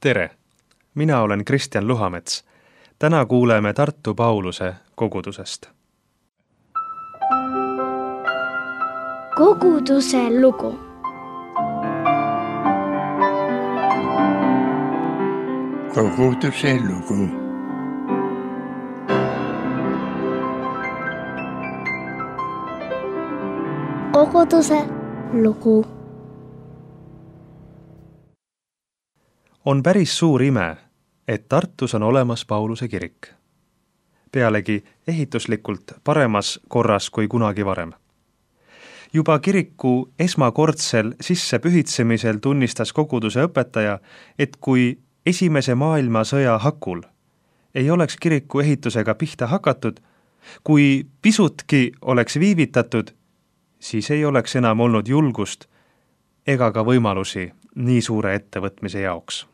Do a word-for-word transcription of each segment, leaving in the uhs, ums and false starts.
Tere! Mina olen Kristjan Luhamets. Täna kuuleme Tartu Pauluse kogudusest. Koguduse lugu. Koguduse lugu. Koguduse lugu. On päris suur ime, et Tartus on olemas Pauluse kirik. Pealegi ehituslikult paremas korras kui kunagi varem. Juba kiriku esmakordsel sissepühitsemisel tunnistas koguduse õpetaja, et kui esimese maailmasõja hakul ei oleks kiriku ehitusega pihta hakatud, kui pisutki oleks viivitatud, siis ei oleks enam olnud julgust ega ka võimalusi nii suure ettevõtmise jaoks.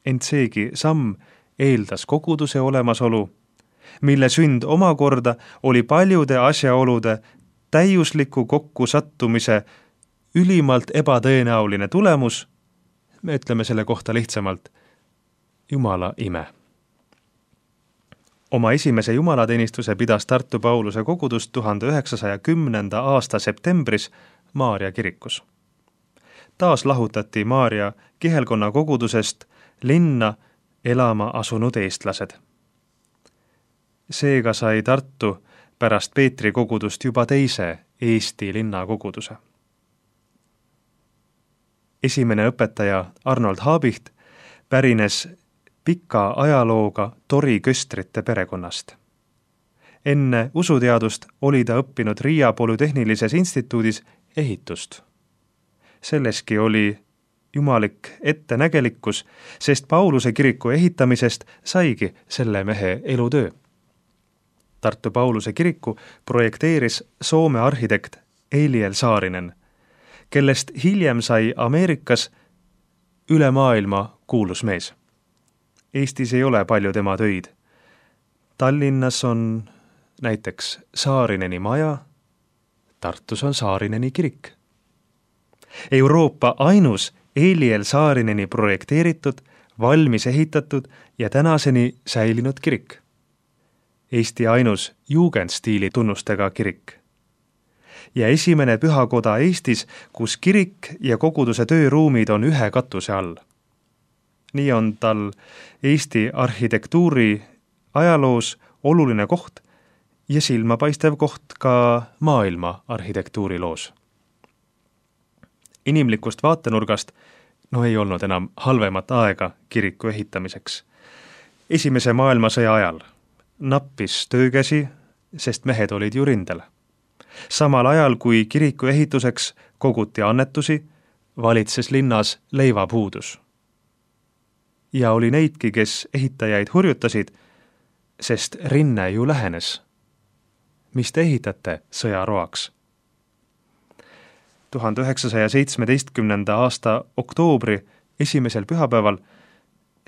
Ent seegi samm eeldas koguduse olemasolu, mille sünd omakorda oli paljude asjaolude täiusliku kokkusattumise ülimalt ebatõenäoline tulemus, me ütleme selle kohta lihtsamalt, Jumala ime. Oma esimese jumalateenistuse pidas Tartu Pauluse kogudus tuhande üheksasaja kümnenda aasta septembris Maarja kirikus. Taas lahutati Maarja kihelkonna kogudusest linna elama asunud eestlased. Seega sai Tartu pärast Peetri kogudust juba teise Eesti linna koguduse. Esimene õpetaja Arnold Haabicht pärines pika ajalooga Tori Köstrite perekonnast. Enne usuteadust oli ta õppinud Riia Polütehnilises instituudis ehitust. Selleski oli jumalik ettenägelikkus, sest Pauluse kiriku ehitamisest saigi selle mehe elutöö. Tartu Pauluse kiriku projekteeris Soome arhitekt Eliel Saarinen, kellest hiljem sai Ameerikas üle maailma kuulus mees. Eestis ei ole palju tema töid. Tallinnas on näiteks Saarineni maja, Tartus on Saarineni kirik. Euroopa ainus Eliel Saarineni projekteeritud, valmis ehitatud ja tänaseni säilinud kirik. Eesti ainus jugendstiili tunnustega kirik. Ja esimene pühakoda Eestis, kus kirik ja koguduse tööruumid on ühe katuse all. Nii on tal Eesti arhitektuuri ajaloos oluline koht ja silmapaistev koht ka maailma arhitektuuriloos. Inimlikust vaatenurgast no ei olnud enam halvemat aega kiriku ehitamiseks. Esimese maailmasõja ajal nappis töökäsi, sest mehed olid ju rindel. Samal ajal kui kiriku ehituseks koguti annetusi, valitses linnas leivapuudus. Ja oli neidki, kes ehitajaid hurjutasid, sest rinne ju lähenes. Mis te ehitate sõjaroaks? tuhande üheksasaja seitsmeteistkümnenda aasta oktoobri esimesel pühapäeval,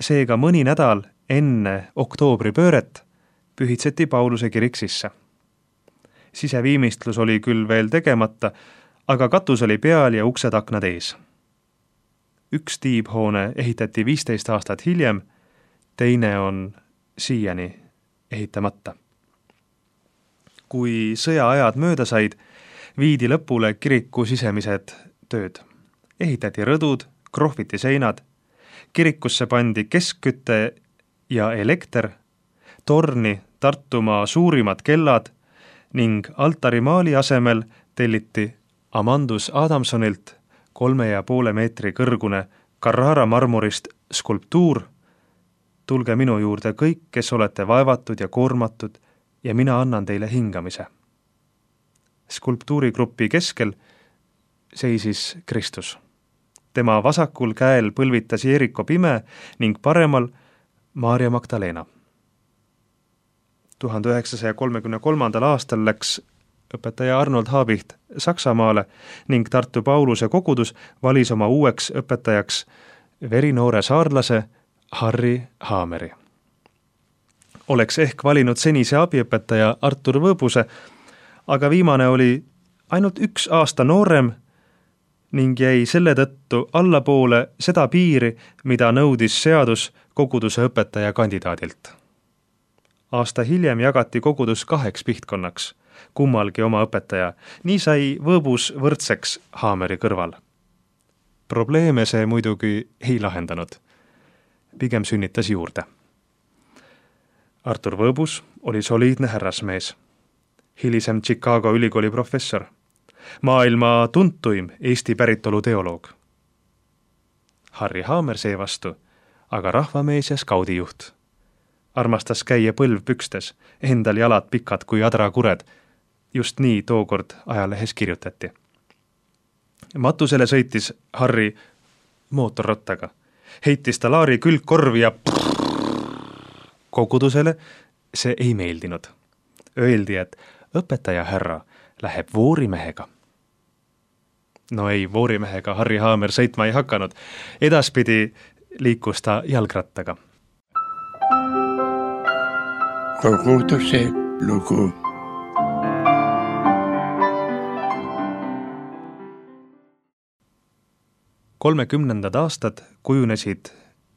seega mõni nädal enne oktoobripööret, pühitseti Pauluse kirik sisse. Siseviimistlus oli küll veel tegemata, aga katus oli peal ja uksed aknad ees. Üks tiibhoone ehitati viisteist aastat hiljem, teine on siiani ehitamata. Kui sõjaajad mööda said, viidi lõpule kiriku sisemised tööd. Ehitati rõdud, krohviti seinad, kirikusse pandi keskkütte ja elekter, torni Tartumaa suurimad kellad ning altarimaali asemel telliti Amandus Adamsonilt kolme ja poole meetri kõrgune Carrara marmorist skulptuur. Tulge minu juurde kõik, kes olete vaevatud ja koormatud ja mina annan teile hingamise. Skulptuurigrupi keskel seisis Kristus. Tema vasakul käel põlvitas Jeeriko pime ning paremal Maarja Magdalena. tuhande üheksasaja kolmekümne kolmandal aastal läks õpetaja Arnold Haabicht Saksamaale ning Tartu Pauluse kogudus valis oma uueks õpetajaks verinoore saarlase Harry Haameri. Oleks ehk valinud senise abiõpetaja Artur Võõbuse, aga viimane oli ainult üks aasta noorem ning jäi selle tõttu allapoole seda piiri, mida nõudis seadus koguduse õpetaja kandidaadilt. Aasta hiljem jagati kogudus kaheks pihtkonnaks, kummalgi oma õpetaja, nii sai Võõbus võrdseks Haameri kõrval. Probleeme see muidugi ei lahendanud, pigem sünnitas juurde. Artur Võõbus oli soliidne härrasmees, hilisem Chicago ülikooli professor, maailma tuntuim Eesti päritolu teoloog. Harri Haamer seevastu, aga rahvamees ja skaudijuht. Armastas käia põlvpükstes, endal jalad pikad kui adrakured. Just nii tookord ajalehes kirjutati. Matusele sõitis Harri mootorrottaga. Heitis ta laari külgkorvi ja kogudusele see ei meeldinud. Öeldi, et õpetaja härra läheb voorimehega. No ei, voorimehega Harri Haamer sõitma ei hakanud. Edaspidi liikus ta jalgrattaga. Koguduse lugu. kolmekümnendad aastad kujunesid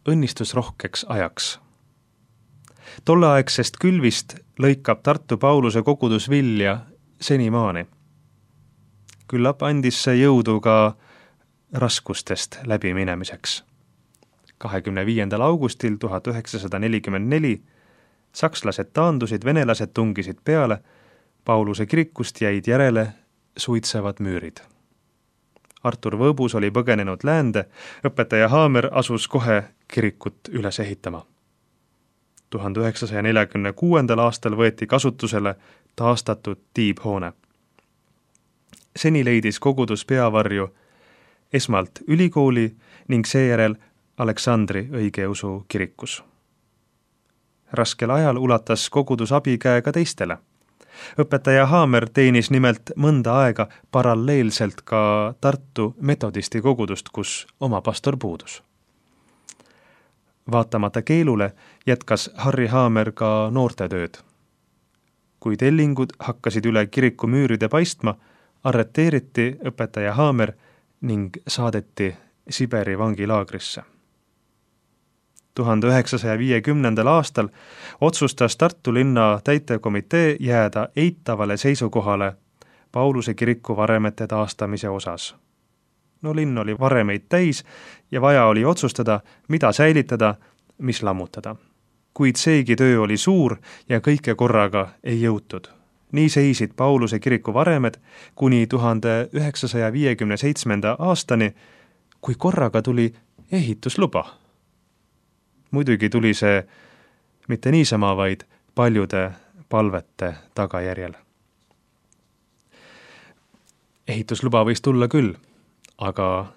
õnnistusrohkeks ajaks. Tolleaegsest külvist lõikab Tartu Pauluse kogudus vilja senimaani. Küllap andis see jõudu ka raskustest läbiminemiseks. kahekümne viiendal augustil tuhat üheksasada nelikümmend neli sakslased taandusid, venelased tungisid peale, Pauluse kirikust jäid järele suitsevad müürid. Artur Võõbus oli põgenenud läände, õpetaja Haamer asus kohe kirikut üles ehitama. tuhande üheksasaja neljakümne kuuendal aastal võeti kasutusele taastatud tiibhoone. Seni leidis kogudus peavarju esmalt ülikooli ning seejärel Aleksandri õigeusu kirikus. Raskel ajal ulatas kogudus abikäe ka teistele. Õpetaja Haamer teenis nimelt mõnda aega paralleelselt ka Tartu metodisti kogudust, kus oma pastor puudus. Vaatamata keelule jätkas Harri Haamer ka noortetööd. Kui tellingud hakkasid üle kiriku müüride paistma, arreteeriti õpetaja Haamer ning saadeti Siberi vangilaagrisse. tuhande üheksasaja viiekümnendal aastal otsustas Tartu linna täitekomitee jääda eitavale seisukohale Pauluse kiriku varemete taastamise osas. No linn oli varemeid täis ja vaja oli otsustada, mida säilitada, mis lammutada. Kuid seegi töö oli suur ja kõike korraga ei jõutud. Nii seisid Pauluse kiriku varemed kuni tuhande üheksasaja viiekümne seitsmenda aastani, kui korraga tuli ehitusluba. Muidugi tuli see mitte niisama, vaid paljude palvete tagajärjel. Ehitusluba võis tulla küll, aga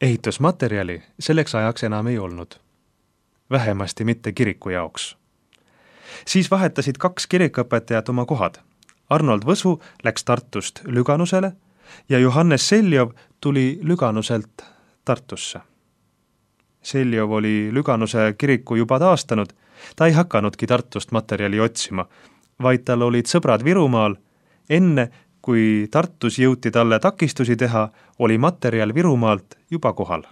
ehitusmaterjali selleks ajaks enam ei olnud. Vähemasti mitte kiriku jaoks. Siis vahetasid kaks kirikuõpetajat oma kohad. Arnold Võsu läks Tartust Lüganusele ja Johannes Seljov tuli Lüganuselt Tartusse. Seljov oli Lüganuse kiriku juba taastanud, ta ei hakanudki Tartust materjali otsima, vaid tal olid sõbrad Virumaal. Enne, kui Tartus jõuti talle takistusi teha, oli materjal Virumaalt juba kohal.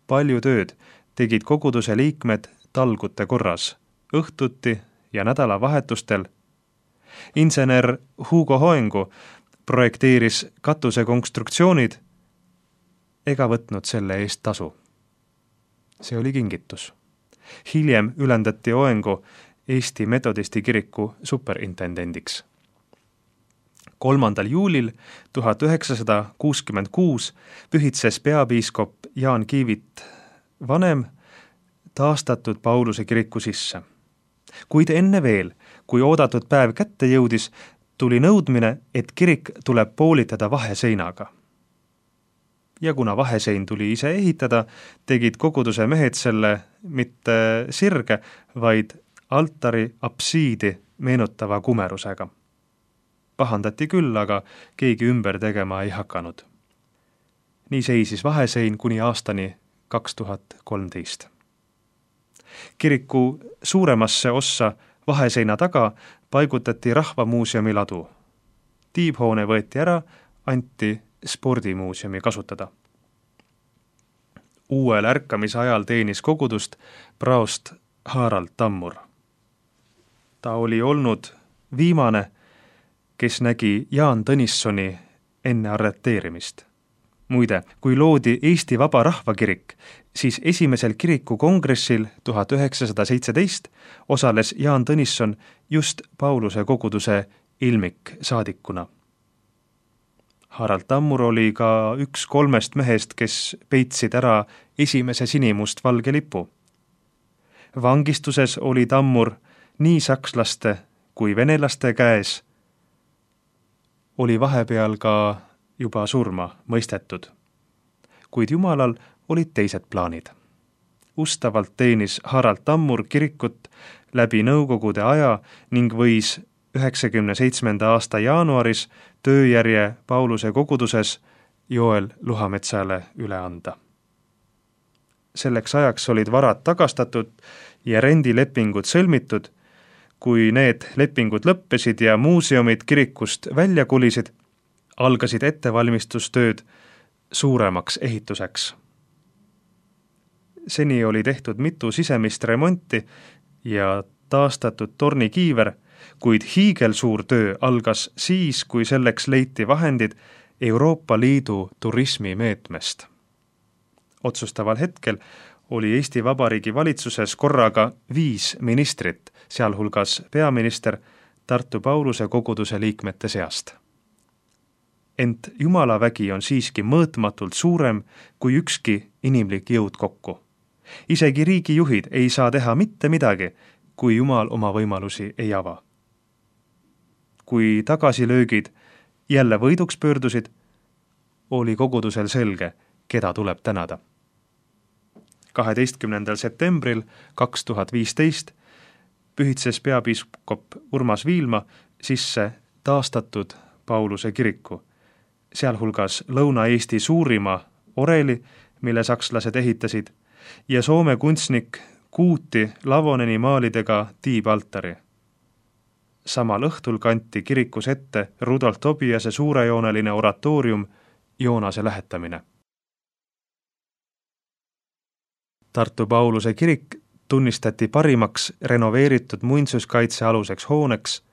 Palju tööd tegid koguduse liikmed talgute korras, õhtuti ja nädalavahetustel. Insener Hugo Hoengu projekteeris katuse konstruktsioonid ega võtnud selle eest tasu. See oli kingitus. Hiljem ülendati Hoengu Eesti metodisti kiriku superintendendiks. kolmandal juulil tuhat üheksasada kuuskümmend kuus pühitses peapiiskop Jaan Kiivit vanem taastatud Pauluse kiriku sisse. Kuid enne veel, kui oodatud päev kätte jõudis, tuli nõudmine, et kirik tuleb poolitada vaheseinaga. Ja kuna vahesein tuli ise ehitada, tegid koguduse mehed selle mitte sirge, vaid altari apsiidi meenutava kumerusega. Pahandati küll, aga keegi ümber tegema ei hakanud. Nii seisis vahesein kuni aastani kaks tuhat kolmteist. Kiriku suuremasse ossa vaheseina taga paigutati Rahvamuuseumi ladu. Tiibhoone võeti ära, anti spordimuuseumi kasutada. Uuel ärkamise ajal teenis kogudust praost Harald Tammur. Ta oli olnud viimane, kes nägi Jaan Tõnissoni enne arreteerimist. Muide, kui loodi Eesti Vaba Rahvakirik, siis esimesel kiriku kongressil tuhat üheksasada seitseteist osales Jaan Tõnisson just Pauluse koguduse ilmiksaadikuna. Harald Tammur oli ka üks kolmest mehest, kes peitsid ära esimese sinimustvalge lipu. Vangistuses oli Tammur nii sakslaste kui venelaste käes, oli vahepeal ka juba surma mõistetud. Kuid Jumalal olid teised plaanid. Ustavalt teenis Harald Tammur kirikut läbi nõukogude aja ning võis üheksakümne seitsmenda aasta jaanuaris tööjärje Pauluse koguduses Joel Luhametsale üle anda. Selleks ajaks olid varad tagastatud ja rendilepingud sõlmitud. Kui need lepingud lõppesid ja muuseumid kirikust välja kulisid, algasid ettevalmistustööd suuremaks ehituseks. Seni oli tehtud mitu sisemist remonti ja taastatud tornikiiver, kuid hiigelsuur töö algas siis, kui selleks leiti vahendid Euroopa Liidu turismimeetmest. Otsustaval hetkel oli Eesti Vabariigi valitsuses korraga viis ministrit, sealhulgas peaminister Tartu Pauluse koguduse liikmete seast. Ent Jumala vägi on siiski mõõtmatult suurem kui ükski inimlik jõud kokku. Isegi riigijuhid ei saa teha mitte midagi, kui Jumal oma võimalusi ei ava. Kui tagasilöögid jälle võiduks pöördusid, oli kogudusel selge, keda tuleb tänada. kaheteistkümnendal septembril kaks tuhat viisteist pühitses peapiiskop Urmas Viilma sisse taastatud Pauluse kiriku, sealhulgas Lõuna-Eesti suurima oreli, mille sakslased ehitasid, ja Soome kunstnik Kuuti Lavoneni maalidega tiibaltari. Samal õhtul kanti kirikus ette Rudolf Tobiase suurejooneline oratoorium Joonase lähetamine. Tartu Pauluse kirik tunnistati parimaks renoveeritud muinsuskaitse aluseks hooneks,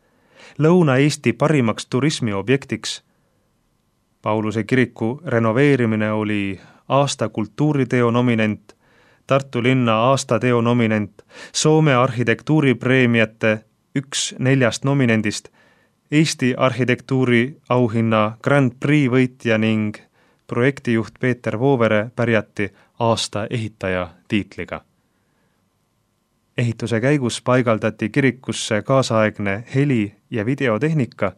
Lõuna-Eesti parimaks turismiobjektiks. Pauluse kiriku renoveerimine oli aasta kultuuriteo nominent, Tartu linna aastateo nominent, Soome arhitektuuripreemiate üks neljast nominendist, Eesti arhitektuuri auhinna Grand Prix võitja ning projektijuht Peeter Voovere pärjati aasta ehitaja tiitliga. Ehituse käigus paigaldati kirikusse kaasaegne heli- ja videotehnika,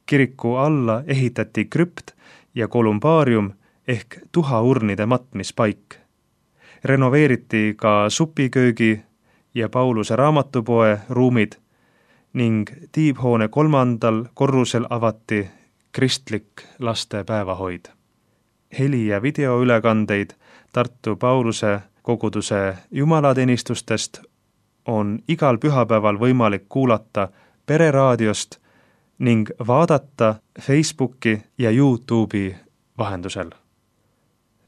kiriku alla ehitati krüpt ja kolumbaarium ehk tuhaurnide matmispaik. Renoveeriti ka supiköögi ja Pauluse raamatupoe ruumid ning tiibhoone kolmandal korrusel avati kristlik laste päevahoid. Heli- ja videoülekandeid Tartu Pauluse koguduse jumalateenistustest on igal pühapäeval võimalik kuulata Pereraadiost ning vaadata Facebooki ja YouTube'i vahendusel.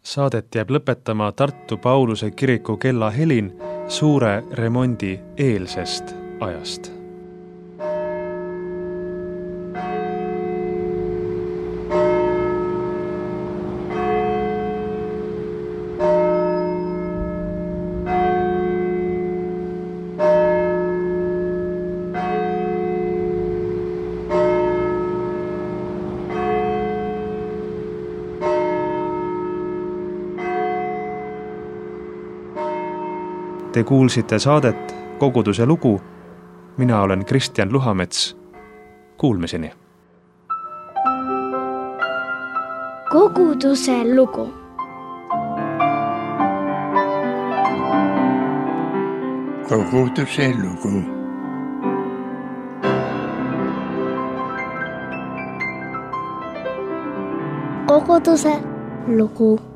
Saadet jääb lõpetama Tartu Pauluse kiriku kellahelin suure remondi eelsest ajast. Te kuulsite saadet Koguduse lugu. Mina olen Kristjan Luhamets. Kuulmiseni. Koguduse lugu. Koguduse lugu. Koguduse lugu.